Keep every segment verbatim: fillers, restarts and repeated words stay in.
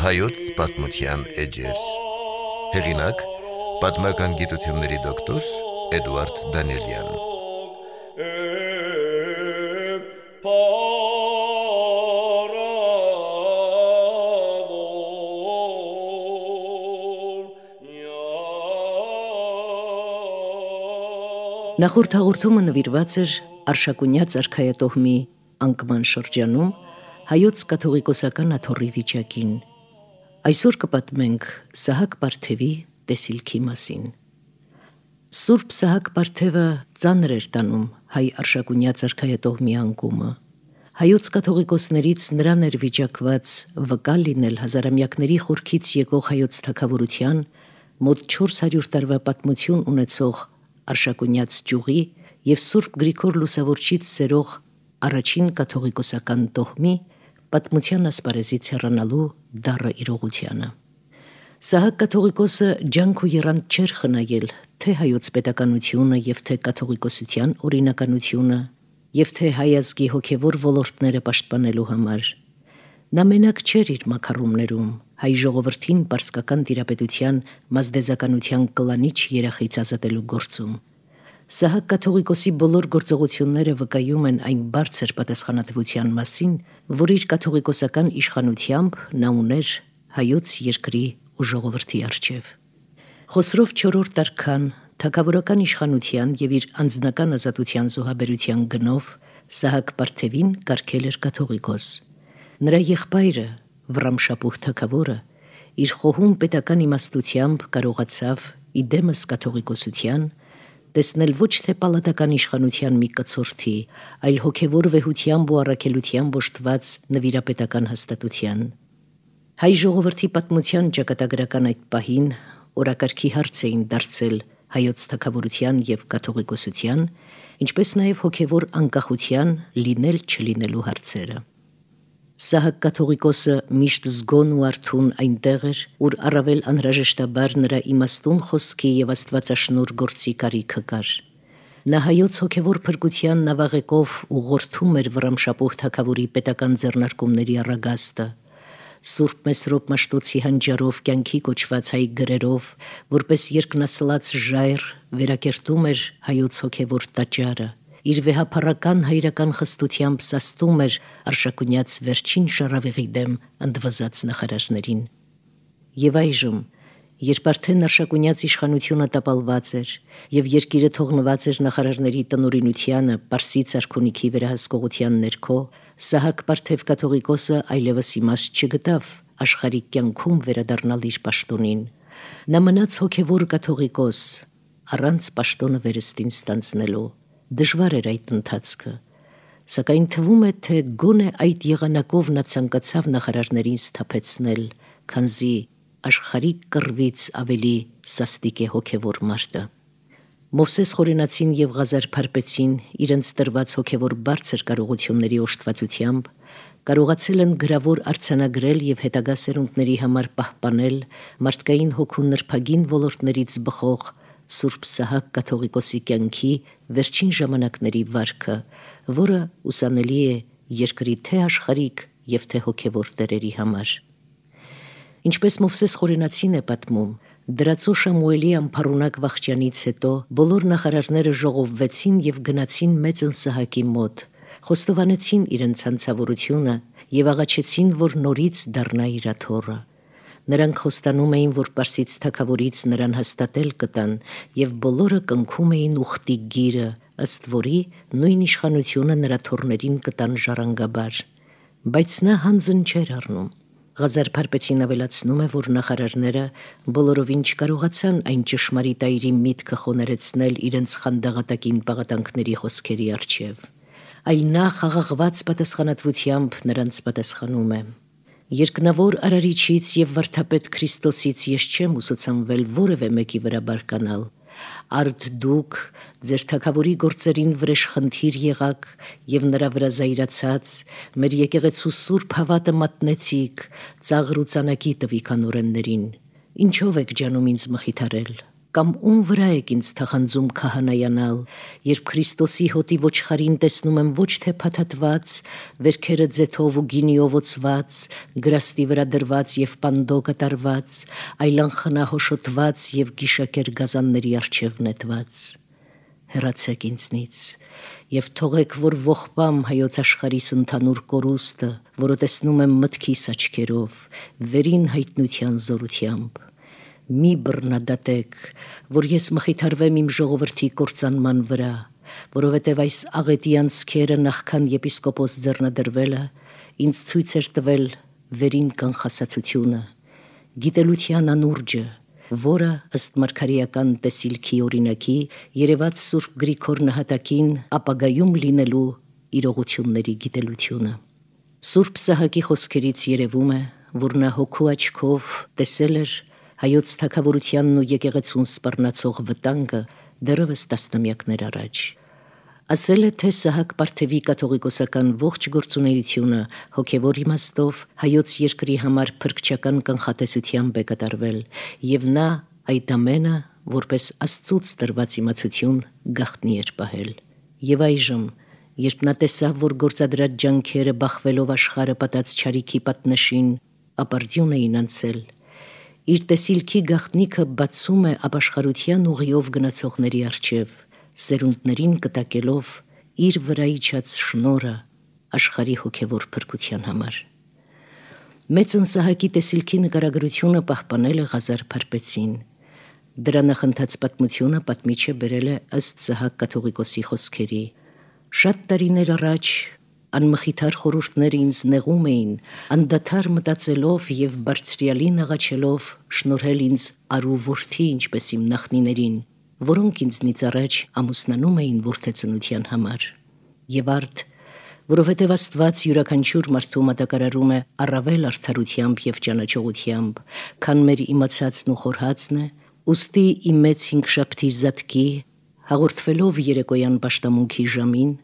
Հայոց պատմության էջեր։ Հեղինակ՝ պատմական գիտությունների դոկտոր Էդուարդ Դանիելյան։ Նախորդ հաղորդումը նվիրված էր Արշակունյաց արքայատոհմի անկման շրջանում հայոց կաթողիկոսական աթոռի վիճակին։ Այսօր կպատմենք Սահակ Պարթևի տեսիլքի մասին։ Սուրբ Սահակ Պարթևը ծանր էր տանում հայ Արշակունյաց արքայատոհմի անկումը։ Հայոց կաթողիկոսներից նրան էր վիճակված վկա լինել հազարամյակների խորքից եկող հայոց թագավորության մոտ չորս հարյուր տարվա պատմություն ունեցող Արշակունյաց ճյուղի և Սուրբ Գրիգոր Լուսավորչից սերող առաջին կաթողիկոսական տոհմի պատմության ասպարեզից հեռանալու դառը իրողությանը։ Սահակ կաթողիկոսը ջանք ու եռանդ չէր խնայել թե հայոց պետականությունը և թե կաթողիկոսության օրինականությունը և թե հայ ազգի հոգևոր ոլորտները պաշտպանելու համար։ Նա մենակ չէր իր մաքառումներում, հայ ժողովրդին պարսկական տիրապետության մազդեզականության կլանիչ երախից ազատելու գործում։ Սահակ կաթողիկոսի բոլոր գործողությունները վկայում են այն բարձր պատասխանատվության մասին, որ իր կաթողիկոսական իշխանությամբ նա ուներ հայոց երկրի ու ժողովրդի առջև։ Խոսրով չորրորդ արքան թագավորական իշխանության և իր անձնական ազատության զոհաբերության գնով Սահակ Պարթևին կարգել էր կաթողիկոս։ Նրա եղբայրը Վռամշապուհ թագավորը իր խոհում պետական իմաստությամբ կարողացավ իդեմս կաթողիկոսության տեսնել ոչ թե պալատական իշխանության մի կցորդի, այլ հոգևոր վեհությամբ ու առաքելությամբ օժտված նվիրապետական հաստատության։ Հայ ժողովրդի պատմության ճակատագրական այդ պահին օրակարգի հարց էին դարձել հայոց թագավորության և կաթողիկոսության, ինչպես նաև հոգևոր անկախության լինել-չլինելու հարցերը։ Սահակ կաթողիկոսը միշտ զգոն ու արթուն այնտեղ էր, ուր առավել անհրաժեշտաբար նրա իմաստուն խոսքի և աստվածաշնորհ գործի կարիքը կար։ Նա հայոց հոգևոր փրկության նավաղեկով ուղղորդում էր Վռամշապուհ թագավորի պետական ձեռնարկումների առագաստը։ Սուրբ Մեսրոպ Մաշտոցի հանճարով կյանքի կոչված հայ գրերով, որպես երկնասլաց ժայռ, վերակերտում էր հայոց հոգևոր տաճարը, իր վեհափառական հայրական խստությամբ սաստում էր Արշակունյաց վերջին շառավիղի դեմ ընդվզած նախարարներին։ Եվ այժմ, երբ արդեն Արշակունյաց իշխանությունը տապալված էր և երկիրը թողնված էր նախարարների տնօրինությանը Պարսից արքունիքի վերահսկողության ներքո, Սահակ Պարթև կաթողիկոսը այլևս իմաստ չգտավ աշխարհիկ կյանքում վերադառնալ իր պաշտոնին։ Նա մնաց հոգևոր կաթողիկոս, առանց պաշտոնը վերստին ստանձնելու։ Դժվար էր այդ ընթացքը, սակայն թվում է, թե գոնե այդ եղանակով նա ցանկացավ նախարարներին սթափեցնել, քանզի աշխարհիկ կռվից ավելի սաստիկ է հոգևոր մարտը։ Մովսես Խորենացին և Ղազար Փարպեցին իրենց տրված հոգևոր բարձր կարողությունների օժտվածությամբ կարողացել են գրավոր արձանագրել և հետագա սերունդների համար պահպանել մարդկային հոգու նրբագին ոլորտներից բխող Սուրբ Սահակ կաթողիկոսի կյանքի վերջին ժամանակների վարքը, որը ուսանելի է երկրի թե աշխարհիկ և թե հոգևոր տերերի համար։ Ինչպես Մովսես Խորենացին է պատմում, դրածո Շամուելի անփառունակ վախճանից հետո բոլոր նախարարները ժողովվեցին և գնացին մեծն Սահակի մոտ, խոստովանեցին իրենց հանցավորությունը և աղաչեցին, որ նորից դառնա իր աթոռը։ Նրանք խոստանում էին, որ Պարսից թագավորից նրան հաստատել կտան, և բոլորը կնքում էին ուխտի գիրը, ըստ որի նույն իշխանությունը նրա թոռներին կտան ժառանգաբար։ Բայց նա հանձն չէր առնում։ Ղազար Փարպեցին ավելացնում է, որ նախարարները բոլորովին չկարողացան այն ճշմարիտ այրի միտքը խոներեցնել իրենց խանդաղատակին պաղատանքների խոսքերի առջև, այլ նա խաղաղված պատասխանատվությամբ նրանց պատասխանում է. «Երկնավոր Արարիչից և վարդապետ Քրիստոսից ես չեմ ուսուցանվել որևէ մեկի վրա բարկանալ։ Արդ դուք ձեր թագավորի գործերին վրեժխնդիր եղաք և նրա վրա զայրացած մեր եկեղեցու սուրբ հավատը մատնեցիք, ծաղր ու ծանակի տվիք անօրեններին։ Ինչով եք ջանում ինձ մխիթարել, Կամ ում վրա եք ինձ թախանձում քահանայանալ, երբ Քրիստոսի հոտի ոչխարին տեսնում եմ ոչ թե փաթաթված, վերքերը ձեթով ու գինիով օծված, գրաստի վրա դրված եւ պանդո կատարված, այլ անխնահոշոտված եւ գիշակեր գազանների առջև նետված։ Հեռացեք ինձնից եւ թողեք, որ ողբամ հայոց աշխարհիս ընդհանուր կորուստը, որը տեսնում եմ մտքիս աչքերով, վերին հայտնության զորությամբ։ Մի բռնադատեք, որ ես մխիթարվեմ իմ ժողովրդի կործանման վրա, որովհետև այս աղետի անցքերը նախքան եպիսկոպոս ձեռնադրվելը ինձ ցույց էր տվել վերին կանխասացությունը, գիտելության անուրջը, որը ըստ մարգարեական տեսիլքի օրինակի երևաց Սուրբ Գրիգոր նահատակին ապագայում լինելու իրողությունների գիտելությունը։ Սուրբ Սահակի խոսքերից երևում է, որ նա հոգու աչքով տեսել էր հայոց թագավորությանն ու եկեղեցուն սպառնացող վտանգը դեռևս տասնամյակներ առաջ։ Ասել է, թե Սահակ Պարթևի կաթողիկոսական ողջ գործունեությունը հոգևոր իմաստով հայոց երկրի համար փրկչական կանխատեսությամբ է կատարվել, եւ նա այդ ամենը որպես Աստծուց տրված իմացություն գաղտնի էր պահել։ Եվ այժմ, երբ նա տեսավ, որ գործադրած ջանքերը բախվելով աշխարհը պատած չարիքի պատնեշին, ապարդյուն էին անցել, իր տեսիլքի գաղտնիքը բացում է ապաշխարության ուղիով գնացողների առջև, սերունդներին կտակելով իր վրա իջած շնորհը աշխարհի հոգևոր փրկության համար։ Մեծն Սահակի տեսիլքի նկարագրությունը պահպանել է Ղազար Փարպեցին։ Դրա նախընթաց պատմությունը պատմիչը բերել է ըստ Սահակ կաթողիկոսի խոսքերի։ Շատ տարիներ առաջ անմխիթար խորհուրդները ինձ նեղում էին, անդադար մտածելով եւ բարձրյալին աղաչելով շնորհել ինձ արու որդի, ինչպես իմ նախնիներին, որոնք ինձնից առաջ ամուսնանում էին որդեծնության համար։ Եվ արդ, որովհետև Աստված յուրաքանչյուր մարդու մատակարարում է առավել արդարությամբ եւ ճանաչողությամբ, քան մեր իմացածն ու խորհածն է, ուստի իմ մեծ հինգշաբթի զատկի, հաղորդվելով երեկոյան պաշտամունքի ժամին,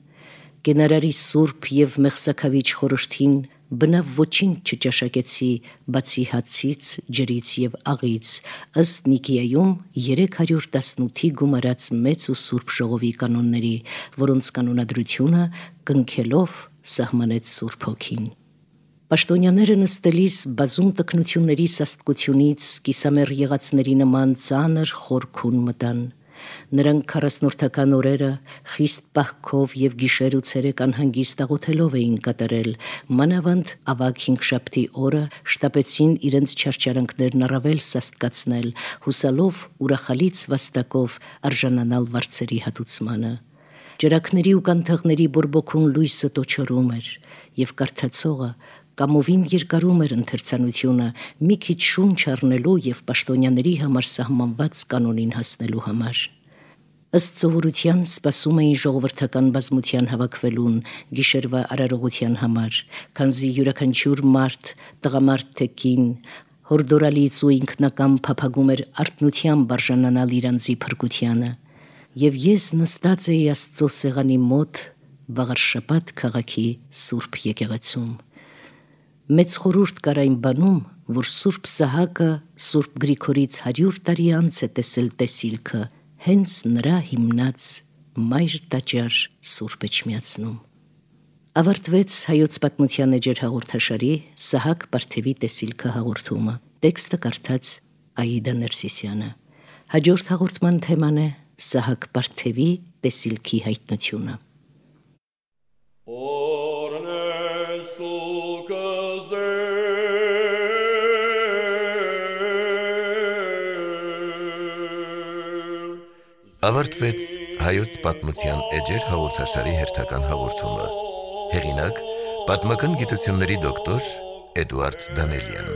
կենարարի սուրբ եւ մեղսակավիճ խորհրդին բնավ ոչինչ չճաշակեցի, բացի հացից, ջրից եւ աղից, ըստ Նիկիայում երեք հարյուր տասնութի գումարած մեծ ու սուրբ ժողովի կանոնների, որոնց կանոնադրությունը կնքելով սահմանեց Սուրբ Հոգին։ Պաշտոնյաները նստելիս բազում տքնությունների սաստկությունից կիսամեռ եղածների նման ծանր խորքուն մտան։ Նրանք քառասնորդական օրերը խիստ պահքով եւ գիշեր ու ցերեկ անհանգիստ աղոթելով էին կատարել, մանավանդ ավագ հինգշաբթի օրը շտապեցին իրենց չարչարանքներն առավել սաստկացնել, հուսալով ուրախալից վաստակով արժանանալ վարձերի հատուցմանը։ Ջրակների ու կանթեղների բորբոքուն լույսը տոչորում էր, եւ կարդացողը կամովին երկարում էր ընթերցանությունը մի քիչ շունչ առնելու եւ պաշտոնյաների համար սահմանված կանոնին հասնելու համար։ Ըստ սովորության սպասում էին ժողովրդական բազմության հավաքվելուն գիշերվա արարողության համար, քանզի յուրաքանչյուր մարդ, տղամարդ թե կին, հորդորալից ու ինքնակամ փափագում էր արթնությամբ արժանանալ իր անձի փրկությանը, եւ ես նստած էի Աստծո սեղանի մոտ Վաղարշաբաթ քաղաքի Սուրբ եկեղեցում։ Մեծ խորհուրդ կար այն բանում, որ Սուրբ Սահակը Սուրբ Գրիգորից հարյուր տարի անց է տեսել տեսիլքը, հենց նրա հիմնած մայր տաճար Սուրբ Էջմիածնում։ Ավարտվեց հայոց պատմության էջեր հաղորդաշարի Սահակ Պարթևի տեսիլքը հաղորդումը։ Տեքստը կարդաց Աիդա Ներսիսյանը։ Հաջորդ հաղորդման թեման է Սահակ Պարթևի տեսիլքի հայտնությունը։ Ավարտվեց հայոց պատմության էջեր հաղորդաշարի հերթական հաղորդումը։ Հեղինակ՝ պատմական գիտությունների դոկտոր Էդուարդ Դանելյան։